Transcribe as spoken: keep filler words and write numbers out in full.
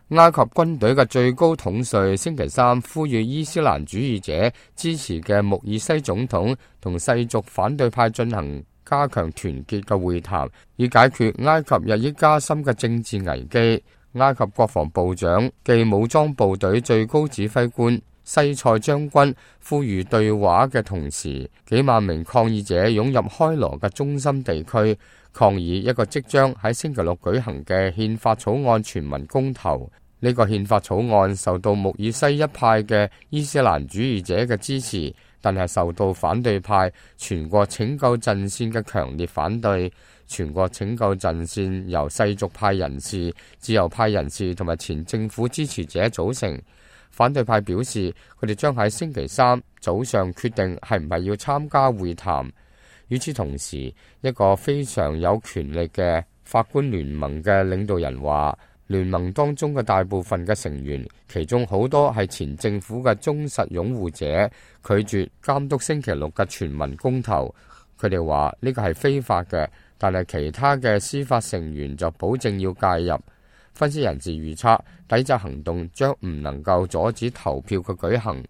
埃及軍隊嘅最高統帥星期三呼籲伊斯蘭主義者支持嘅穆爾西總統同世俗反對派進行加強團結嘅會談，以解決埃及日益加深嘅政治危機。埃及國防部長暨武裝部隊最高指揮官西塞將軍呼籲對話嘅同時，幾萬名抗議者湧入開羅嘅中心地區，抗議一個即將喺星期六舉行嘅憲法草案全民公投。呢個憲法草案受到穆爾西一派嘅伊斯蘭主義者嘅支持，但係受到反對派全國拯救陣線嘅強烈反對。全國拯救陣線由世俗派人士、自由派人士同埋前政府支持者組成。反對派表示，佢哋將喺星期三早上決定係唔係要參加會談。與此同時，一個非常有權力嘅法官聯盟嘅領導人話，聯盟當中嘅大部分嘅成員，其中好多係前政府嘅忠實擁護者，拒絕監督星期六嘅全民公投。佢哋話呢個係非法嘅，但係其他嘅司法成員就保證要介入。分析人士預測，抵制行動將唔能夠阻止投票嘅舉行。